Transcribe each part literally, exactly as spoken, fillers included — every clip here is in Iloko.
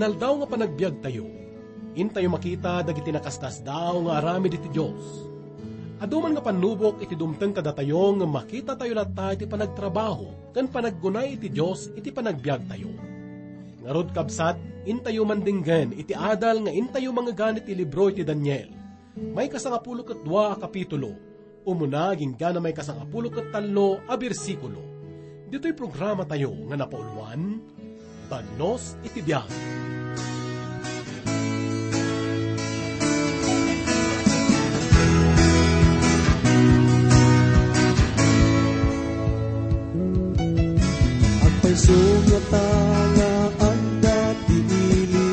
Aldaw nga panagbiagtayo, intayo makita dagiti nakasdasdaaw nga aramid iti Dios. Adu man nga pannubok iti dumteng kadatayo ngem makitatayo latta iti panagtrabaho ken panaggunay iti Dios iti panagbiagtayo. Ngarud, kabsat, intayo mandenggen iti adal nga intayo mangngegan iti libro iti Daniel. Maikasangapulo ket dua a kapitulo, umuna agingga na maikasangapulo ket tallo a bersikulo. Ditoy programatayo nga napauluan, Bagnos iti Biag. Agpayso ngata nga adda ti ili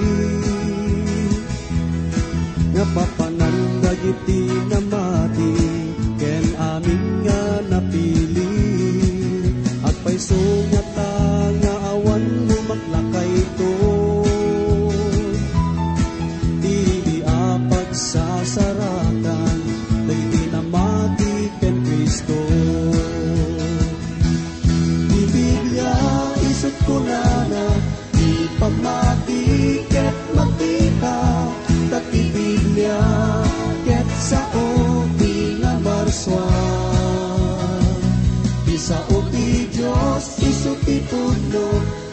nga papanan dagiti namati ken amin nga napili. Agpayso ngata nga awan lumaklakayto idi a pagsasaratan dagiti namati ken Cristo. Ti Biblia isut' kunana, ti pammati ket makita, ta ti Biblia ket sao ti namarsua. Ti sao ti Dios isu ti pudno,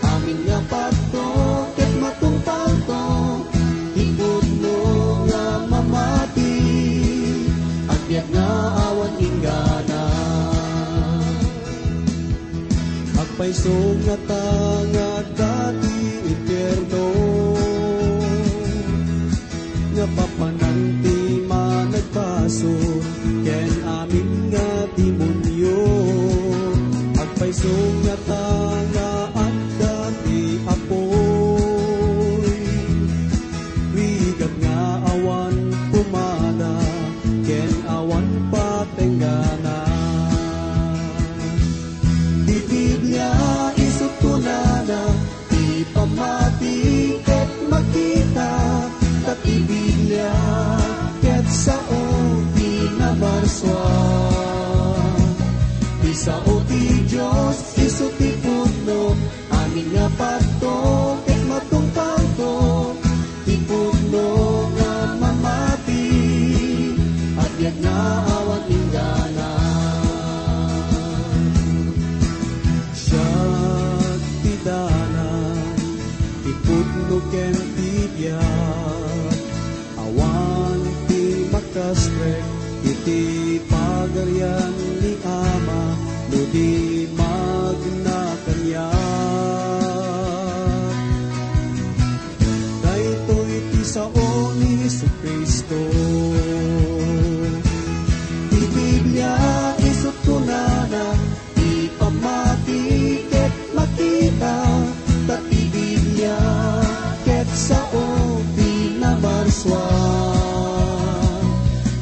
amin nga padto ket matungpalto. Ti pudno nga mamati, agbiag nga awan inggana. Agpayso ngata nga adda ti impierno, nga papanan ti managbasol ken amin nga demonio. Agpayso ngata nga adda ti apuy, rigat nga awan pumada ken awan patenggana. Ti Biblia isut' kunana, ti pammati ket makita, ta ti Biblia ket sao ti namarsua. Ti sao ti Dios isu ti pudno, amin nga padto ket matungpalto. Ti pudno nga mamati, agbiag nga awan inggana. Siak ti dalan, ti pudno ken ti biag. Awan ti makastrek iti Pagarian ni Ama no di magna kaniak. Daytoy ti sao ni Jesu-Cristo. Ti Biblia isut' kunana, ti pammati ket makita, ta ti Biblia ket sao ti namarsua.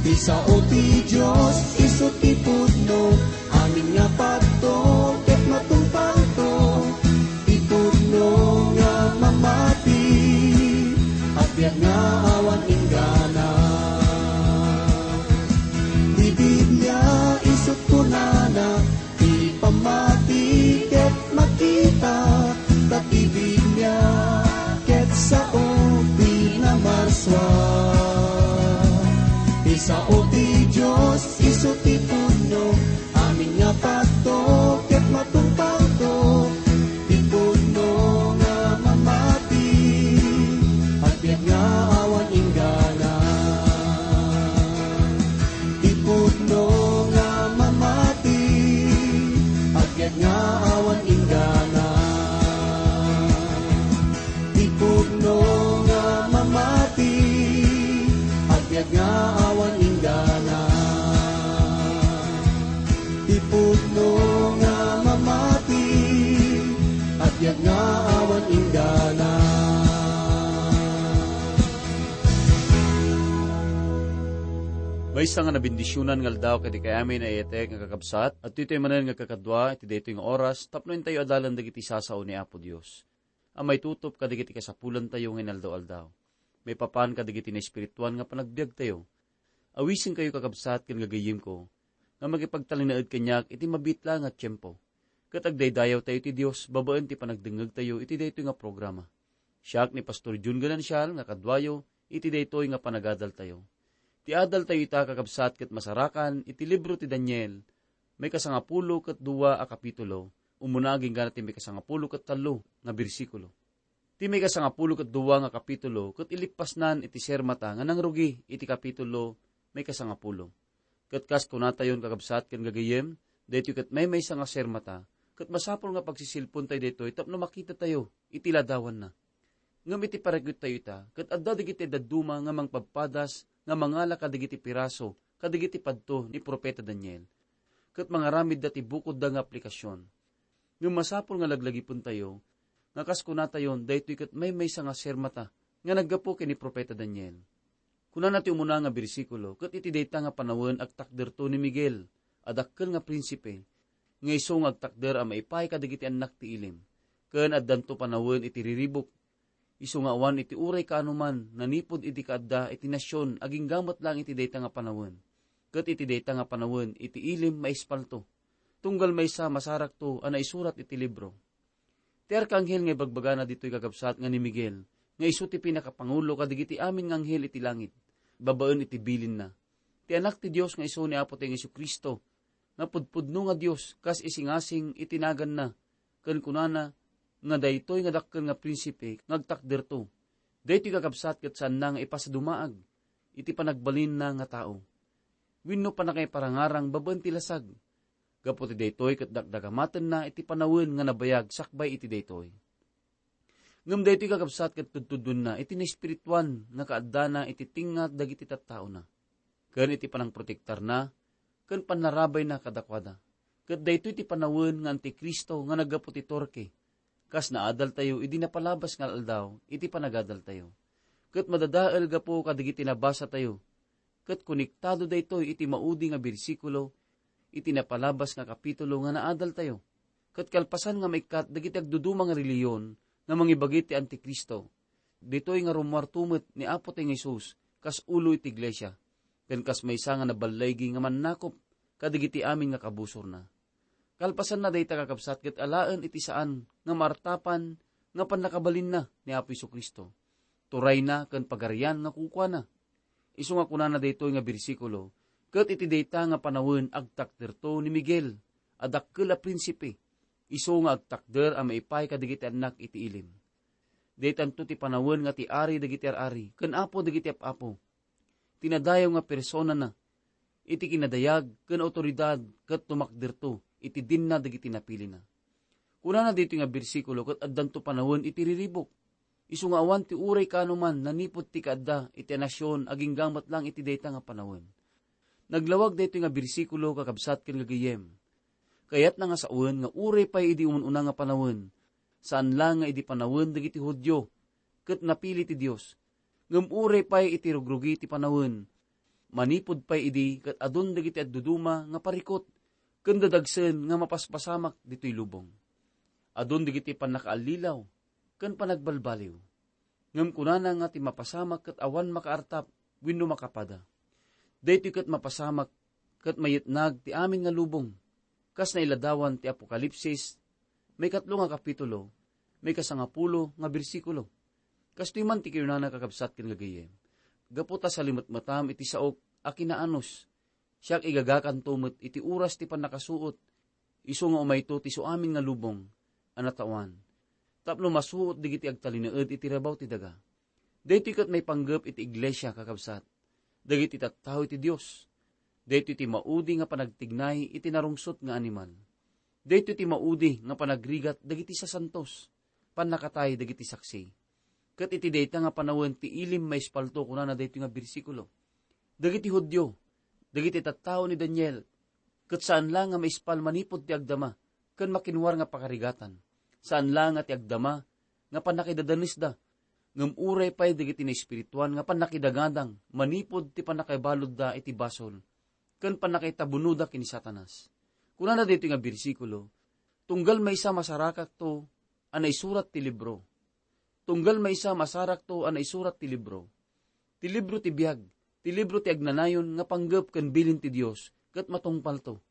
Ti sao ti Dios isu ti pudno, amin nga padto ket matungpalto. Ti pudno nga mamati, agbiag nga awan inggana. Ti Biblia isut' kunana, ti pammati ket makita, ta ti Biblia ket sao ti namarsua. Ti sao ti Dios isu ti pudno, amin nga padto ket matungpalto. Ti pudno nga mamati, agbiag nga awan inggana. Ti pudno nga mamati, agbiag nga awan inggana. Ti pudno nga mamati, agbiag nga awan inggana. Ti pudno nga mamati, agbiag nga awan inggana. Maysa nga nabendisionan nga aldaw kadagiti amin a nayatek nga kakabsat, adtoy manen nga kakadua iti daytoy nga oras tapno intayo adalan dagiti sasao ni Apo Dios a maitutup kadagiti kasapulantayo nga inaldaw-aldaw, maipapan kadagiti naespirituan nga panagbiagtayo. Awisenkayo, kakabsat ken gagayyemko, nga makipagtalinaed kaniak iti mabiit la nga tiempo, ket agdaydayawtayo ti Dios babaen ti panagdengngegtayo iti daytoy nga programa. Siak ni Pastor Jun Ganancial nga kaduayo iti daytoy nga panagadaltayo. Ti adaltayo ita, kakabsat, ket masarakan iti libro ti Daniel, maikasangapulo ket dua a kapitulo, umuna agingga ti maikasangapulo ket tallo nga bersikulo. Ti maikasangapulo ket dua nga kapitulo ket ilippasnan iti sermata nga nangrugi iti kapitulo maikasangapulo. Ket kas kunatayon, kakabsat ken gagayyem, daytoy ket maymaysa nga sermata, ket masapul nga pagsisilpontayo daytoy tapno makitatayo iti ladawanna. Ngem iti parikut tayo ita, ket adda dagiti dadduma nga mangpadpadas nga mangala kadagiti piraso kadagiti padto ni Profeta Daniel, ket mangaramidda ti bukodda nga aplikasyon. Ngem masapul nga laglagipentayo nga kas kunatayon, daytoy ket maymaysa nga sermata nga naggapu ken ni Profeta Daniel. Kunana ti umuna nga bersikulo, ket iti dayta nga panawen agtakderto ni Miguel a dakkel nga prinsipe, nga isu nga agtakder a maipaay kadagiti annak ti ilim, ken addanto panawen iti riribuk, isu nga awan iti uray kaanoman nanipud iti kaadda iti nasion agingga met laeng iti dayta nga panawen, ket iti dayta nga panawen iti ilim maispalto, tunggal maysa masarakto a naisurat iti libro. Ti arkanghel nga ibagbagana ditoy, kakabsat, nga ni Miguel, nga isu ti pinakapangulo kadagiti amin nga anghel iti langit, babaen iti bilinna. Ti Anak ti Dios nga isu ni Apotayo nga Jesu-Cristo, nga pudpudno nga Dios kas isingasing iti naganna, ken kunana nga daytoy nga dakkel nga prinsipe nga agtakderto. Daytoy, kakabsat, ket saanna nga ipasadumaag iti panagbalinna nga tao wenno pannakaiparangarang babaen ti lasag. Gapu ti daytoy ket dakdagamatenna iti panawen nga nabayag sakbay iti daytoy. Ngem daytoy, kakabsat, ket tudtuddonna iti naespirituan nga kaaddana iti tengnga dagiti tattaona. Ken iti panangprotektarna ken pannarabayna kadakuada. Ket daytoy ti panawen nga Antikristo nga naggapu ti Torque, kas naadaltayo idi napalabas nga aldaw iti panagadaltayo. Ket madadael gapu kadagiti nabasatayo, ket konektado daytoy iti maudi nga bersikulo iti napalabas nga kapitulo nga naadaltayo. Ket kalpasan nga maikkat dagiti agduduma nga relihiyon nga mangibagi ti Antikristo, ditoy nga rummuarto met ni Apotayo nga Jesus kas ulo iti iglesia, ken kas maysa nga naballaigi nga mannakop kadagiti amin nga kabusorna. Kalpasanna dayta, kakabsat, ket alaen iti saan nga maartapan nga pannakabalinna ni Apo Jesu-Cristo. Turayna ken pagarian nga kukuana. Isu nga kunana daytoy nga bersikulo, ket iti dayta nga panawen agtakderto ni Miguel a dakkel a prinsipe, isu nga agtakder a maipaay kadagiti annak iti ilim. Daytanto ti panawen nga ti Ari dagiti ar-ari ken Apo dagiti ap-apo. Ti nadayaw nga personana iti kinadayag ken awtoridad ket tumakderto iti dinna dagiti napilina. Kunana ditoy nga bersikulo ket addanto panawen iti riribuk. Isu nga awan ti uray kaanoman nanipud ti kaadda iti nasion agingga met laeng iti dayta nga panawen. Naglawag daytoy nga bersikulo, kakabsat ken gagayyem. Kayatna nga sawen nga uray pay idi umun-una nga panawen, saan laeng nga idi panawen dagiti Judio, ket napili ti Dios, ngem uray pay iti rugrugi ti panawen, manipud pay idi ket adun dagiti agduduma nga parikut ken dadagsen nga mapaspasamak ditoy lubong. Adun dagiti pannakaallilaw ken panagbalbaliw. Ngem kunana nga ti mapasamak ket awan makaartap wenno makapada. Daytoy ket mapasamak ket mayetnag ti amin nga lubong, kas nailadawan ti Apokalipsis, maikatlo nga kapitulo, maikasangapulo nga bersikulo. Kastoy man ti kinunana, kakabsat ken gagayyem, gapu ta salimetmetam iti saok a kinaanus, siak igagakanto met iti oras ti pannakasuot, isu nga umayto ti suamin nga lubong a natawan, tapno masuot dagiti agtalinaed iti rabaw ti daga. Daytoy ket maipanggep iti iglesia, kakabsat, dagiti tattao iti Dios. Daytoy ti maudi nga panagtignay iti narungsot nga animal. Daytoy ti maudi nga panagrigat dagiti sasantos, pannakatay dagiti saksi. Ket iti dayta nga panawen ti ilim maispalto, kunana daytoy nga bersikulo, dagiti Judio, dagiti tattao ni Daniel, ket saan la nga maispal manipud ti agdama ken makinwar nga pakarigatan. Saan la nga ti agdama nga pannakidadanesda, ngem uray pay dagiti naespirituan nga pannakidagadang manipud ti pannakaibaludda iti basol ken pannakaitabunoda ken ni Satanas. Kunana daytoy nga bersikulo, "Tunggal maysa masarakakto a naisurat ti libro. Tunggal maysa masarakto a naisurat ti libro. Ti libro ti biag, ti libro ti agnanayon nga panggep ken bilin ti Dios, ket matungpalto."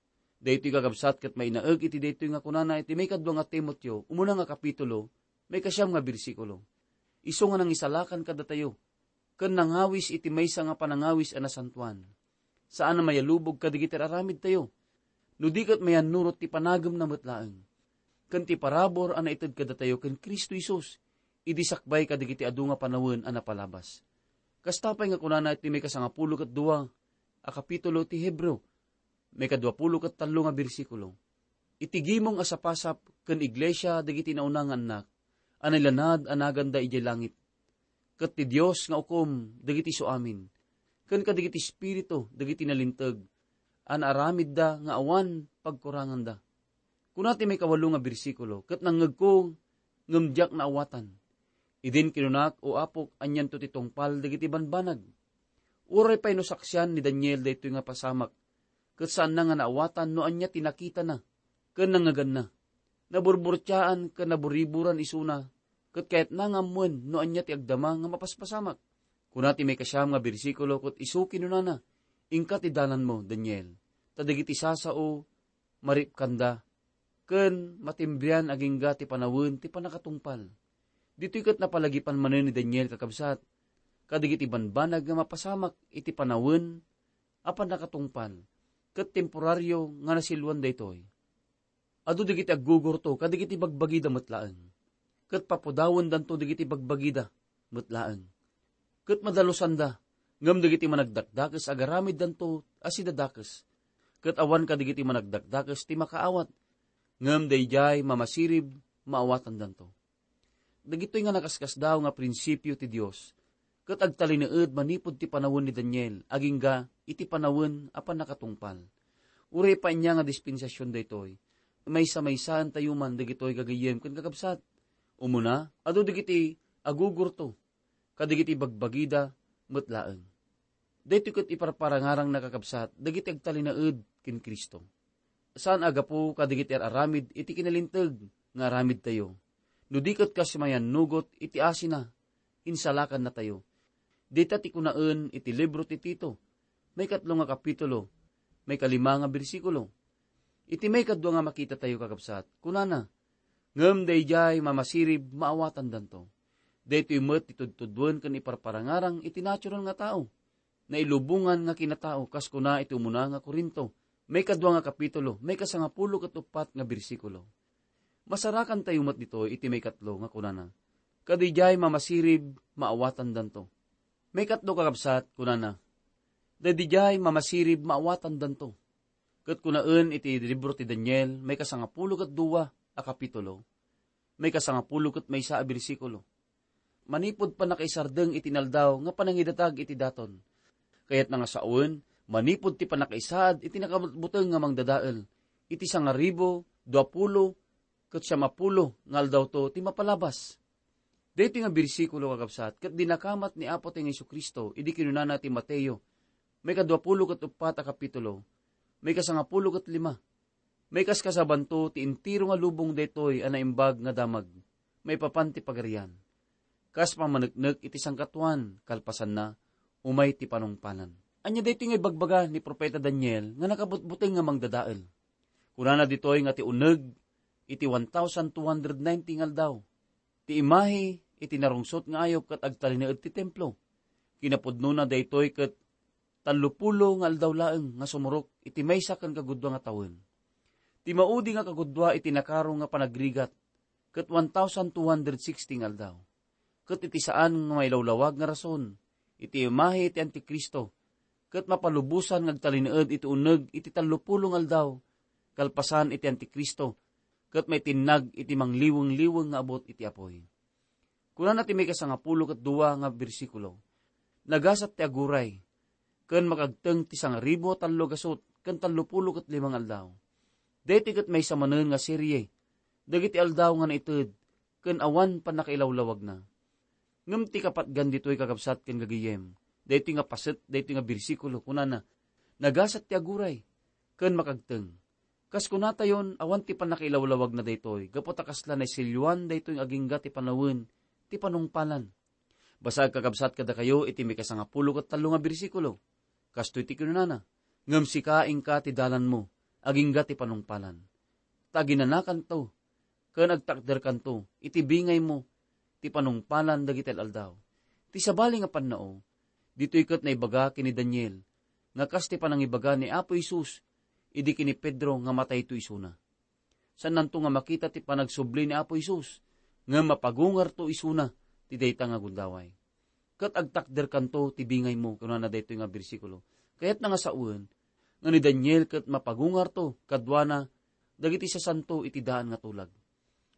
Daytoy, kakabsat, ket mainaek iti daytoy nga kunana iti maikadua nga Timoteo, umuna nga kapitulo, maikasiam nga bersikulo, isu nga nangisalakan kadatayo, ken nangawis iti maysa nga panangawis a nasantoan. Saan a mayalubog kadagiti ar-aramidtayo, no di ket mayannurot ti panagemna met laeng, ken ti parabur a naited kadatayo ken Cristo Jesus, idi sakbay kadagiti adu nga panawen a napalabas. Kasta pay nga kunana iti maikasangapulo ket dua a kapitulo ti Hebreo, maikaduapulo ket tallo nga bersikulo, "Iti gimong a sapasap ken iglesia dagiti nauna nga annak a nailanad a naganda idiay langit, ket ti Dios nga ukom dagiti suamin, ken kadagiti espiritu dagiti nalinteg a naaramidda nga awan pagkuranganda." Kuna ti maikawalo nga bersikulo, "Ket nangngegko, ngem diak naawatan. Idin kinunak, 'O Apok, anianto ti tungpal dagiti banbanag?'" Uray pay no saksian ni Daniel daytoy nga pasamak, ket saanna nga naawatan no ania ti nakitana ken nangngeganna. Naburburtiaan ken naburiburan isuna, ket kayatna nga ammoen no ania ti agdama nga mapaspasamak. Kuna ti maikasiam nga bersikulo ket isu kinunana, "Inka ti dalanmo, Daniel, ta dagiti sasao maripkanda, ken matimbrian agingga ti panawen ti pannakatungpal." Ditoy ket napalagipan manen ni Daniel, kakabsat, kadagiti banbanag nga mapasamak iti panawen a pannakatungpal, ket temporario nga nasiluan daytoy. Adu dagiti aggugurto kadagiti bagbagida met laeng, ket papudawendanto dagiti bagbagida met laeng, ket madalusanda, ngem dagiti managdakdakes agaramiddanto a sidadakes, ket awan kadagiti managdakdakes ti makaawat, ngem daydiay mamasirib maawatandanto. Dagitoy nga nakaskasdaaw nga prinsipio ti Dios ket agtalinaed manipud ti panawen ni Daniel agingga iti panawen a pannakatungpal. Uray pay ania nga dispensasion daytoy, maysa-maysaentayo man dagitoy, gagayyem ken kakabsat. Umuna, adu dagiti agugurto kadagiti bagbagida met laeng. Daytoy ket iparparangarang, nakakabsat, dagiti agtalinaed ken Cristo. Saan a gapu kadagiti ar-aramid iti kinalinteg nga aramidtayo, no di ket kas mayannugot iti asina, insalakannatayo. Dayta ti kunaen iti libro ti Tito, maikatlo nga kapitulo, maikalima nga bersikulo. Iti maikadua nga makitatayo, kakabsat, kunana, "Ngem daydiay mamasirib maawatandanto." Daytoy met ti tudtuduen ken iparparangarang iti natural nga tao, nailubongan nga kinatao, kas kuna iti umuna nga Corinto, maikadua nga kapitulo, maikasangapulo ket uppat nga bersikulo. Masarakantayo met ditoy iti maikatlo nga kunana, "Kadidiay mamasirib maawatandanto." Maikatlo, kakabsat, kunana, "Daydiay mamasirib maawatandanto." Ket kunaen iti libro ti Daniel, maikasangapulo ket dua a kapitulo, maikasangapulo ket maysa a bersikulo, "Manipud pannakaisardeng iti inaldaw nga panangidatag iti daton, kayatna nga sawen, manipud ti pannakaisaad iti nakabutbuteng nga mangdadael, iti sangaribu duapulo ket siamapulo nga aldawto ti mapalabas." Daytoy nga bersikulo, kakabsat, ket dinakamat ni Apotayo nga Jesu-Cristo idi kinunana ti Mateo, maikaduapulo ket uppat a kapitulo, maikasangapulo ket lima. Maikaskasabanto ti entero nga lubong daytoy a naimbag nga damag maipapan ti Pagarian. Kas pammaneknek iti sangkatuan, kalpasanna, umay ti panungpalan. Ania daytoy nga ibagbaga ni Profeta Daniel nga nakabutbuteng nga mangdadael? Kunana ditoy nga ti uneg iti one thousand two hundred ninety nga aldaw, ti imahe iti narungsot nga ayup ket agtalinaed ti templo. Kinapudnona daytoy ket tallopulo nga aldaw laeng nga sumurok iti maysa ken kagudua nga tawen. Ti maudi nga kagudua iti nakaro nga panagrigat ket one thousand two hundred sixty nga aldaw. Ket iti saan nga mailawlawag nga rason, iti imahe ti Antikristo, ket mapalubosan nga agtalinaed iti uneg iti tallopulo nga aldaw, kalpasan iti Antikristo, ket maitinnag iti mangliweng-liweng nga abut iti apuy. Kunana ti maikasangapulo ket dua nga bersikulo, "Nagasat ti aguray, ken makagteng ti sangaribu a tallo gasut ken tallopulo ket lima nga aldaw." Daytoy ket maysa manen nga serie dagiti aldaw nga naited ken awan pannakailawlawagna. Ngem ti kapatgan ditoy, kakabsat ken gagayem, daytoy nga paset, daytoy nga bersikulo, kunana, "Nagasat ti aguray, ken makagteng." Kas kunatayon, awan ti pannakailawlawagna daytoy, gapu ta kasla naisilyoan daytoy nga agingga ti panawen ti panungpalan. Basaek, kakabsat, kadakayo iti maikasangapulo ket tallo nga bersikulo. Kastoy ti kinunana, "Ngem sika, inka ti dalanmo, agingga ti panungpalan. Ta aginanakanto, ken agtakderkanto iti bingaymo, ti panungpalan dagiti al-aldaw. Ti sabali nga pannao, ditoy ket naibaga ken ni Daniel nga kas ti panangibaga ni Apo Jesus idi ken ni Pedro nga matayto isuna. Saannanto nga makita ti panagsubli ni Apo Jesus, ngem mapagungarto isuna ti dayta nga gundaway. Ket agtakderkanto ti bingaymo, kunana daytoy nga bersikulo. Kayatna nga sawen nga ni Daniel ket mapagungarto kaduana dagiti sasanto iti daan nga tulag.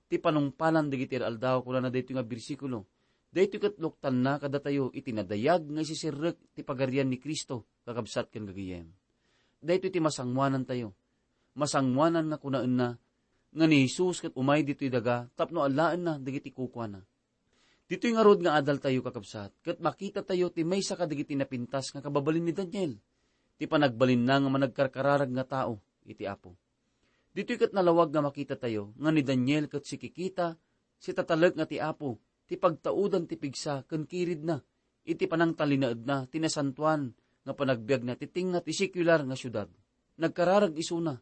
Ti panungpalan dagiti al-aldaw, kunana daytoy nga bersikulo. Daytoy ket luktanna kadatayo iti nadayag nga isisirrek ti pagarian ni Cristo, kakabsat ken gagayem. Daytoy ti masangoanantayo. Masangoanan nga kunaenna nga ni Jesus ket umay ditoy daga tapno alaenna dagiti kukuana. Ditoy ngarud nga adaltayo, kakabsat, ket makitatayo ti maysa kadagiti napintas nga kababalin ni Daniel, ti panagbalinna nga managkarkararag nga tao iti Apo. Ditoy ket nalawag nga makitatayo nga ni Daniel ket sikikita, sitatalek nga ti Apo ti pagtaudan ti pigsa ken kiridna iti panangtalinaedna ti nasantoan nga panagbiagna ti tengnga ti sekular nga siudad. Nagkararag isuna,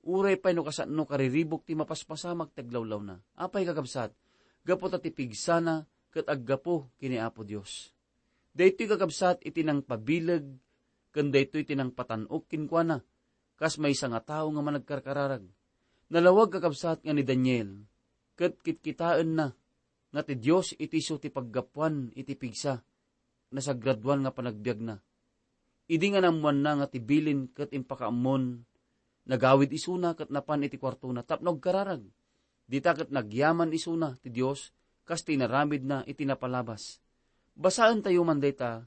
uray pay no kasano kariribuk ti mapaspasamak ti aglawlawna. Apay, kakabsat? Gapu ta ti pigsana ket aggapu ken ni Apo Dios. Daytoy, kakabsat, iti nangpabileg ken daytoy ti nangpatan-ok kenkuana, kas maysa nga tao nga managkarkararag. Nalawag, kakabsat, nga ni Daniel ket kitkitaenna nga ti Dios iti isu ti paggapuan iti pigsa, nasagradoan nga panagbiagna. Idi nga naammoanna nga ti bilin ket impakaammon, nagawid isuna ket napan iti kuartona tapno agkararag. Dita ket nagyaman isuna ti Dios kas ti inaramidna iti napalabas. Basaentayo man dayta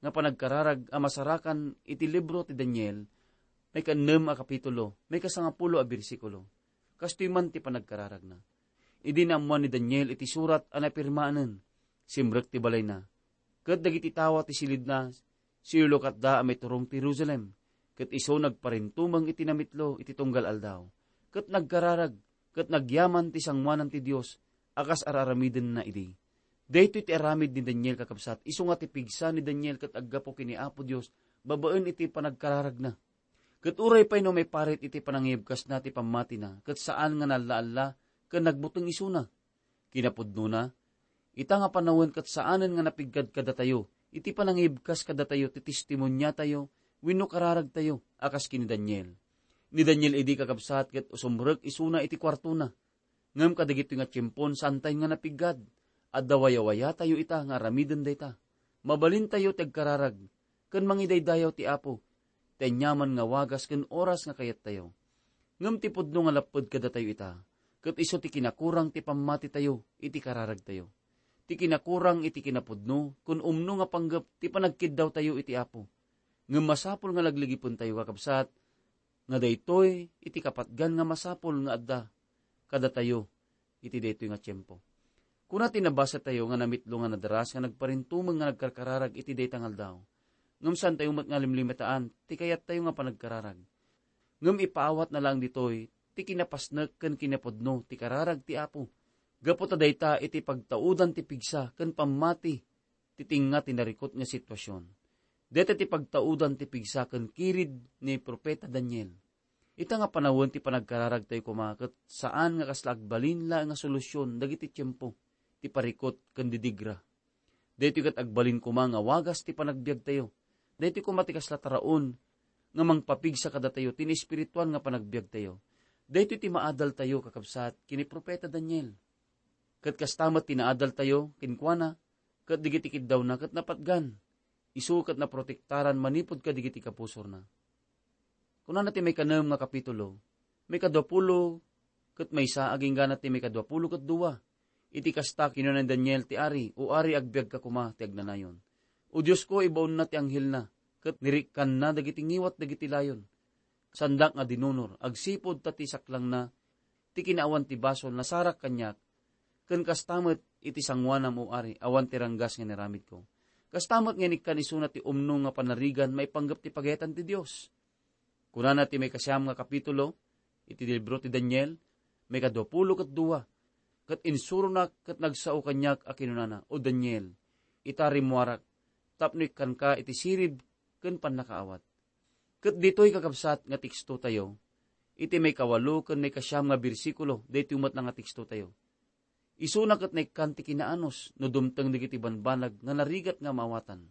nga panagkararag a masarakan iti libro ti Daniel, maikaennem a kapitulo, maikasangapulo a bersikulo. Kastoy man ti panagkararagna. Idi naammoan ni Daniel iti surat a napirmaanen, simrek ti balayna. Ket dagiti tawa ti silidna, siulukatda a maiturong ti Jerusalem, ket isu nagparintumeng iti namitlo iti tunggal aldaw, ket nagkararag, ket nagyaman ti sangoanan ti Dios a kas ar-aramidenna idi. Daytoy ti aramid ni Daniel, kakabsat, isu nga ti pigsa ni Daniel ket aggapu ken ni Apo Dios babaen iti panagkararagna. Ket uray pay no maiparit iti panangibkasna ti pammatina, ket saan nga naalla-alla ken nagbuteng isuna. Kinapudnona, ita nga panawen ket saanen nga napiggad kadatayo iti panangibkas kadatayo ti testimoniatayo wenno kararagtayo a kas ken ni Daniel. Ni Daniel idi, kakabsat, ket usumrek isuna iti kuartona. Ngem kadagitoy nga tiempon, saantayo nga napiggad. Adda wayawayatayo ita nga aramiden dayta. Mabalintayo ti agkararag ken mangidaydayaw ti Apo, ti aniaman nga wagas ken oras nga kayattayo. Ngem ti pudno nga lapped kadatayo ita, ket isu ti kinakurang ti pammatitayo iti kararagtayo. Ti kinakurang iti kinapudno ken umno nga panggep ti panagkiddawtayo iti Apo. Ngem masapul nga lagligipentayo, kakabsat, nga daytoy iti kapatgan nga masapul nga adda kadatayo iti daytoy nga tiempo. Kuna ti nabasatayo nga namitlo nga nadaras nga nagparintumeng nga nagkarkararag iti dayta nga aldaw. Ngem saantayo met nga limlimetaan ti kayattayo nga panagkararag. Ngem ipaawatna laeng ditoy ti kinapasnek ken kinapudno ti kararag ti Apo. Gapu ta dayta iti pagtaudan ti pigsa ken pammati ti tengnga ti narikut nga situasion. Dayta ti pagtaudan ti pigsa ken kirid ni Profeta Daniel. Ita nga panawen ti panagkararagtayo koma ket saan nga kasla agbalin laeng nga solusion dagiti tiempo ti parikut ken didigra. Daytoy ket agbalin koma nga wagas ti panagbiagtayo. Daytoy koma ti kasla taraon nga mangpapigsa kadatayo ti naespirituan nga panagbiagtayo. Daytoy ti maadaltayo, kakabsat, ken ni Profeta Daniel. Ket kasta met ti naadaltayo kenkuana, ket dagiti kiddawna ket napatgan. Isu ket naprotektaran manipud kadagiti kapusorna. Kunana ti maikanem nga kapitulo, maikaduapulo ket maysa agingga ti maikaduapulo ket dua. Iti kasta, kinuna ni Daniel ti ari, "O ari, agbiagka koma ti agnanayon. O Diosko, ibaonna ti anghelna, ket nirikkanna dagiti ngiwat dagiti layon. Saandak nga dinunor, agsipud ta ti saklangna ti kinaawan ti basol nasarak kaniak, ken kasta met iti sangoanam, O ari, awan ti ranggas nga inaramidko." Kasta met nga inikkan isuna ti umno nga panarigan maipanggep ti pagayatan ti Dios. Kunana ti maikasiam nga kapitulo iti libro ti Daniel, maikaduapulo ket dua, ket insuronak ket nagsao kaniak a kinunana, "O Daniel, ita rimmuarak tapno ikkanka iti sirib ken pannakaawat." Ket ditoy, kakabsat, nga tekstotayo, iti maikawalo ken maikasiam nga bersikulo, daytoy met nga tekstotayo. Isuna ket naikkan ti kinaanus no dumteng dagiti banbanag nga narigat nga maawatan.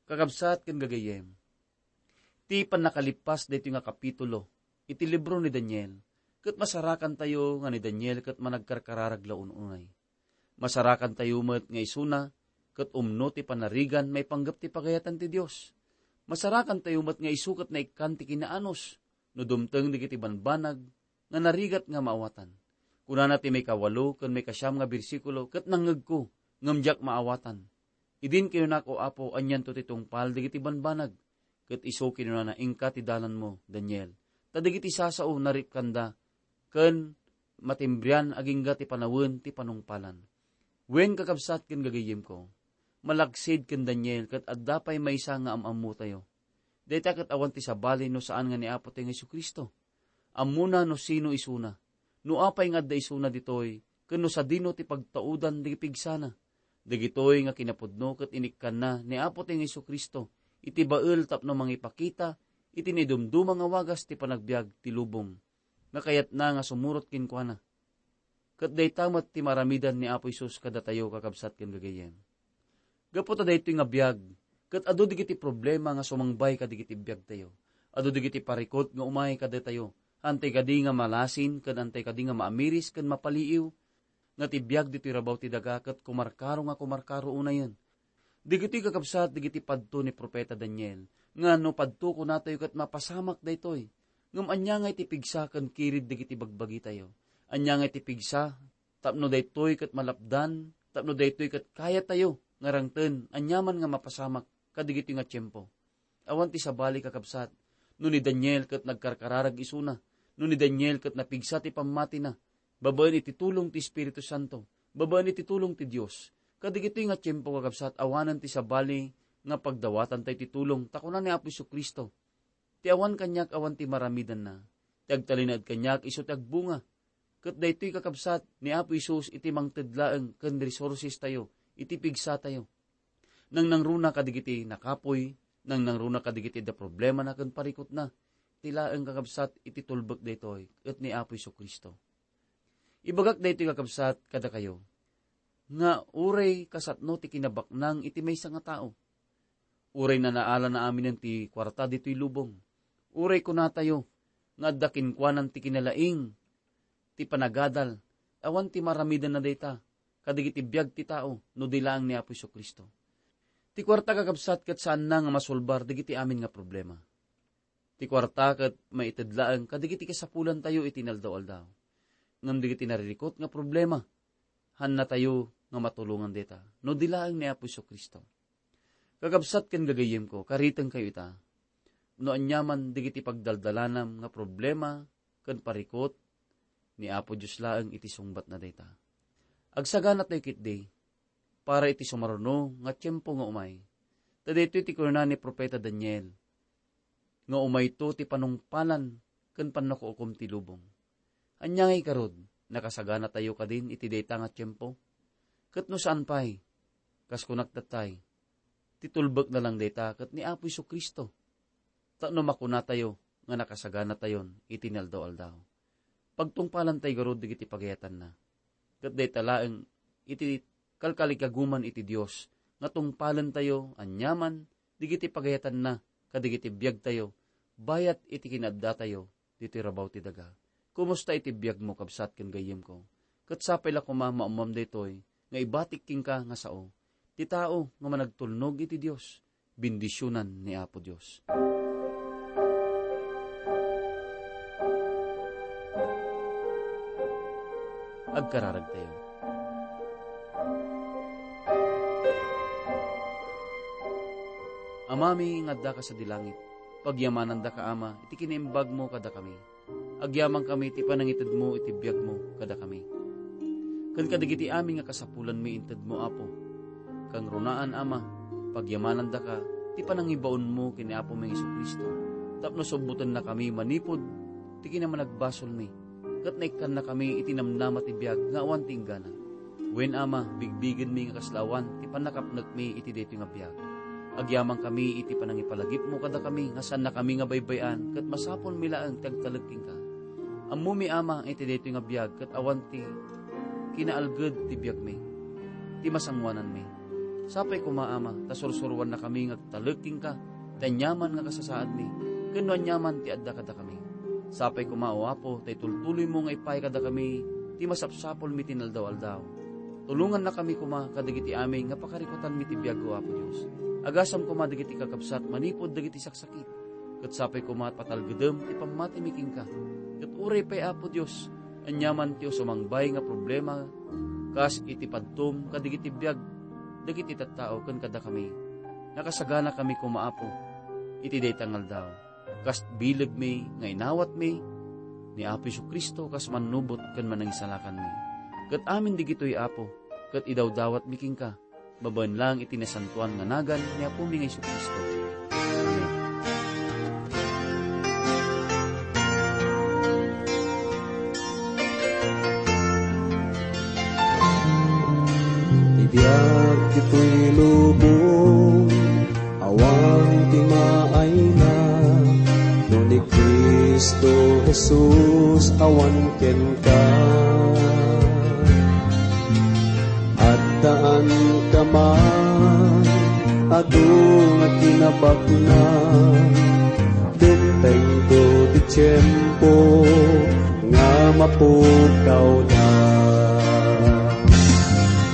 Kakabsat ken gagayyem, ti pannakalippas daytoy nga kapitulo iti libro ni Daniel, ket masarakantayo nga ni Daniel ket managkarkararag la un-unay. Masarakantayo met nga isuna ket umno ti panarigan maipanggep ti pagayatan ti Dios. Masarakantayo met nga isu ket naikkan ti kinaanus no dumteng dagiti banbanag nga narigat nga maawatan. Kunana ti maikawalo ken maikasiam nga bersikulo, "Ket nangngegko, ngem diak maawatan. Idin kinunako, Apo, anianto ti tungpal dagiti banbanag?" Ket isu kinunana, "Inka ti dalanmo, Daniel, ta dagiti sasao naripkanda, ken matimbrian agingga ti panawen ti panungpalan." Wen, kakabsat ken gagayyemko, malaksid ken Daniel ket adda pay maysa nga am-ammotayo. Dayta ket awan ti sabali no saan nga ni Apo tayo nga Jesu-Cristo. Ammona no sino isuna, no apay nga adda isuna ditoy, ken no sadino ti pagtaudan ti pigsana. Dagitoy nga kinapudno ket inikkanna ni Apo tayo nga Jesu-Cristo iti bael tapno mangipakita iti naidumduma nga wagas ti panagbiag ti lubong nga kayatna nga sumurot kenkuana. Ket dayta met ti maaramidan ni Apo Jesus kadatayo, kakabsat ken gagayyem. Gapu ta daytoy nga biag, ket adu dagiti problema nga sumangbay kadagiti biagtayo. Adu dagiti parikut nga umay kadatayo. Antay kadi nga malasin, ken antay kadi nga maamiris ken mapaliiw, nga ti biag ditoy rabaw ti daga ket kumarkaro nga kumarkaro unayen. Dagitoy, kakabsat, dagiti padto ni Profeta Daniel, nga no padto kunatayo ket mapasamak daytoy. Ngem ania nga iti pigsa ken kirid dagiti bagbagitayo? Ania nga iti pigsa tapno daytoy ket malapdan, tapno daytoy ket kayatayo nga rangten aniaman nga mapasamak kadagitoy nga tiempo? Awan ti sabali, kakabsat, no ni Daniel ket nagkarkararag isuna, no ni Daniel ket napigsa ti pammatina, babaen iti tulong ti Espiritu Santo, babaen iti tulong ti Dios. Kadagitoy nga tiempo, kakabsat, awanen ti sabali nga pagdawatantayo ti tulong, ta kuna ni Apo Jesu-Cristo, "Ti awan kaniak awan ti maaramidanna, ti agtalinaed kaniak isu ti agbunga." Ket daytoy, kakabsat, ni Apo Jesus iti mangted laeng ken resources tayo iti pigsatayo. Nangnangruna kadagiti nakapuy, nangnangruna kadagiti adda problemana ken parikutna. Ti laeng, kakabsat, iti tulbek daytoy ket ni Apo Jesu-Cristo. Ibagak daytoy, kakabsat, kadakayo, nga uray kasatno ti kinabaknang iti maysa nga tao, uray nanaalana aminen ti kuarta ditoy lubong, uray kunatayo nga adda kenkuanan ti kinalaing ti panagadal, awan ti maaramidanna dayta kadagiti biag ti tao no di laeng ni Apo Jesu-Cristo. Ti kuarta, kakabsat, ket saanna nga masolbar dagiti amin nga problema. Ti kuarta ket maited laeng kadagiti kasapulantayo iti inaldaw-aldaw. Ngem dagiti naririkut nga problema, haannatayo nga matulongan dayta no di laeng ni Apo Jesu-Cristo. Kakabsat ken gagayyemko, karitengkayo ita. No aniaman dagiti pagdaldalanam nga problema ken parikut, ni Apo Dios laeng iti sungbatna dayta. Agsaganatayo ketdi para iti sumaruno nga tiempo nga umay. Ta daytoy ti kunana ni Profeta Daniel, nga umayto ti panungpalan ken pannakuukom ti lubong. Ania nga ikarud, nakasaganatayo kadin iti dayta nga tiempo? Ket no saan pay, kas kunak datay, ti tulbekna lang dayta ket ni Apo Jesu-Cristo. Tapno makunatayo nga nakasaganatayon iti inaldaw-aldaw. Pagtungpalantay garud dagiti pagayatanna. Ket dayta laeng iti kalkalikaguman iti Dios nga tungpalentayo aniaman dagiti pagayatanna kadagiti biagtayo bayat iti kinaaddatayo ditoy rabaw ti daga. Kumusta iti biagmo, kabsat ken gayyemko? Ket sapay la koma maammoam daytoy nga ibatik kenka nga sao ti tao nga managtulnog iti Dios. Bendisionan ni Apo Dios. Agkararagtayo. Amami nga addaka sadi langit, pagyamanandaka, Ama, iti kinaimbagmo kadakami. Agyamankami iti panangitedmo iti biagmo kadakami. Ken kadagiti amin nga kasapulanmi intedmo, Apo. Kangrunaan, Ama, pagyamanandaka ti panangibaonmo ken ni Apomi Jesu-Cristo, tapno subbutennakami manipud ti kinamanagbasolmi, ket naikkannakami iti namnama ti biag nga awan ti inggana. Wen, Ama, bigbigenmi nga kasla awan ti pannakapnekmi iti daytoy nga biag. Agyamankami iti panangipalagipmo kadakami nga saannakami nga baybay-an ket masapulmi laeng ti agtalek kenka. Ammomi, Ama, iti daytoy nga biag ket awan ti kinaalged ti biagmi, ti masangoananmi. Sapay koma, Ama, ta sursuroannakami nga agtalek kenka ti aniaman nga kasasaadmi ken no aniaman ti adda kadakami. Sapay koma, O Apo, ta itultuloymo nga ipaay kadakami ti masapsapulmi ti inaldaw-aldaw. Tulongannakami koma kadagiti amin nga pakarikutanmi ti biag, O Apo Dios. Agasam koma dagiti kakabsat manipud dagiti saksakit, ket sapay koma a patalgedem ti pammatimi kenka. Ket uray pay, Apo Dios, aniaman ti usumangbay nga problema, kas iti padtum kadagiti biag dagiti tattao ken kadakami, nakasaganakami koma, Apo, iti dayta nga aldaw, kas bilegmi nga inawatmi ni Apo Jesu-Cristo kas Mannubot ken Manangisalakanmi. Ket amin digitoy, Apo, ket idawdawatmi kenka, babaen laeng iti nasantoan nga nagan ni Apomi nga Jesu-Cristo. Amen. Ti biag ditoy lubong, awan ti maayna, no ni Cristo Jesus awan kenka. Addaan ka man, adu nga kinabaknang, dimtengto ti tiempo nga mapukawda.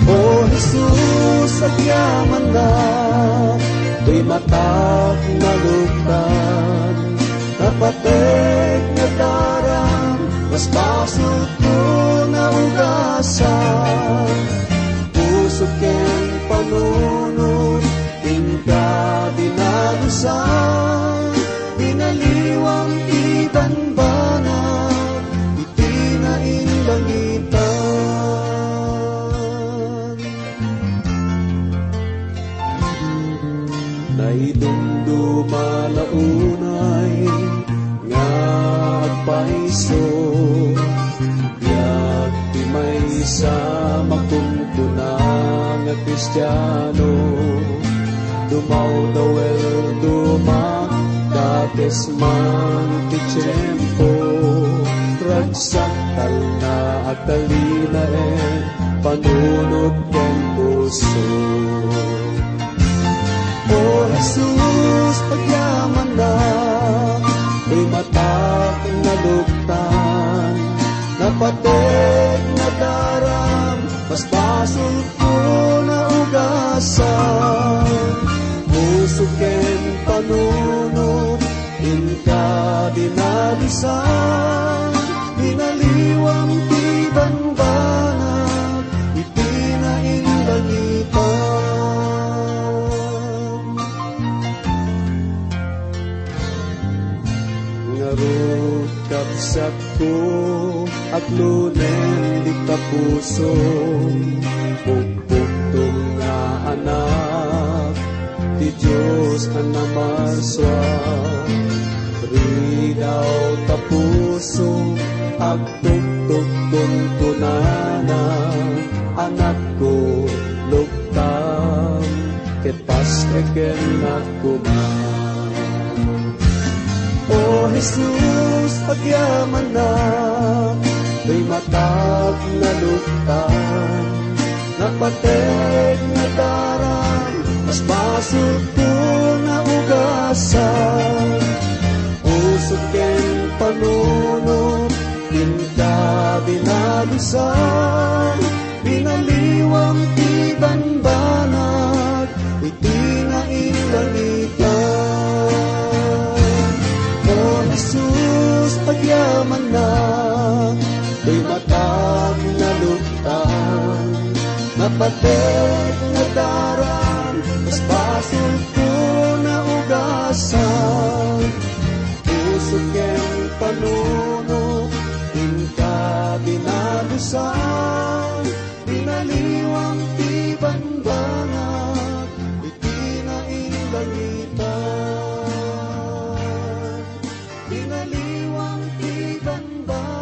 O Jesus, agyamanak, toy matak naluktan, napatek nga daram, mas basolko nga ugasan. Puso ken panunot, inka dinalusan, binaliwam ti banbanag iti nainlangitan. Naidumduma la unay nga agpayso, biag ti maysa makunkuna nga Kristiano. Dumawdawel, dumakdakes man ti tiempo, ragsak, talna, agtalinaed, panunot ken puso. O Jesus, agyamanak, toy matak naluktan, napatek nga daram, mas basolko nga ugasan. Puso ken panunot, inka dinalusan, binaliwam ti banbanag iti nainlangitan. Ngarud, kabsatko, aglunen dita puso, pukpukto nga anak ti Dios a namasua. Ridaw ta puso, agtuktok kunkunana, anakko, luktam, ket pastreken koma. O Jesus, agyamanak, toy matak naluktan, napatek nga daram, mas basolko nga ugasan. Puso ken panunot, inka dinalusan, binaliwam ti banbanag iti nainlangitan. O Jesus, agyamanak, toy matak naluktan, napatek nga daram, mas basolko nga ugasan. Puso ken panunot, inka dinalusan, binaliwam ti banbanag iti nainlangitan. Binaliwam ti banbanag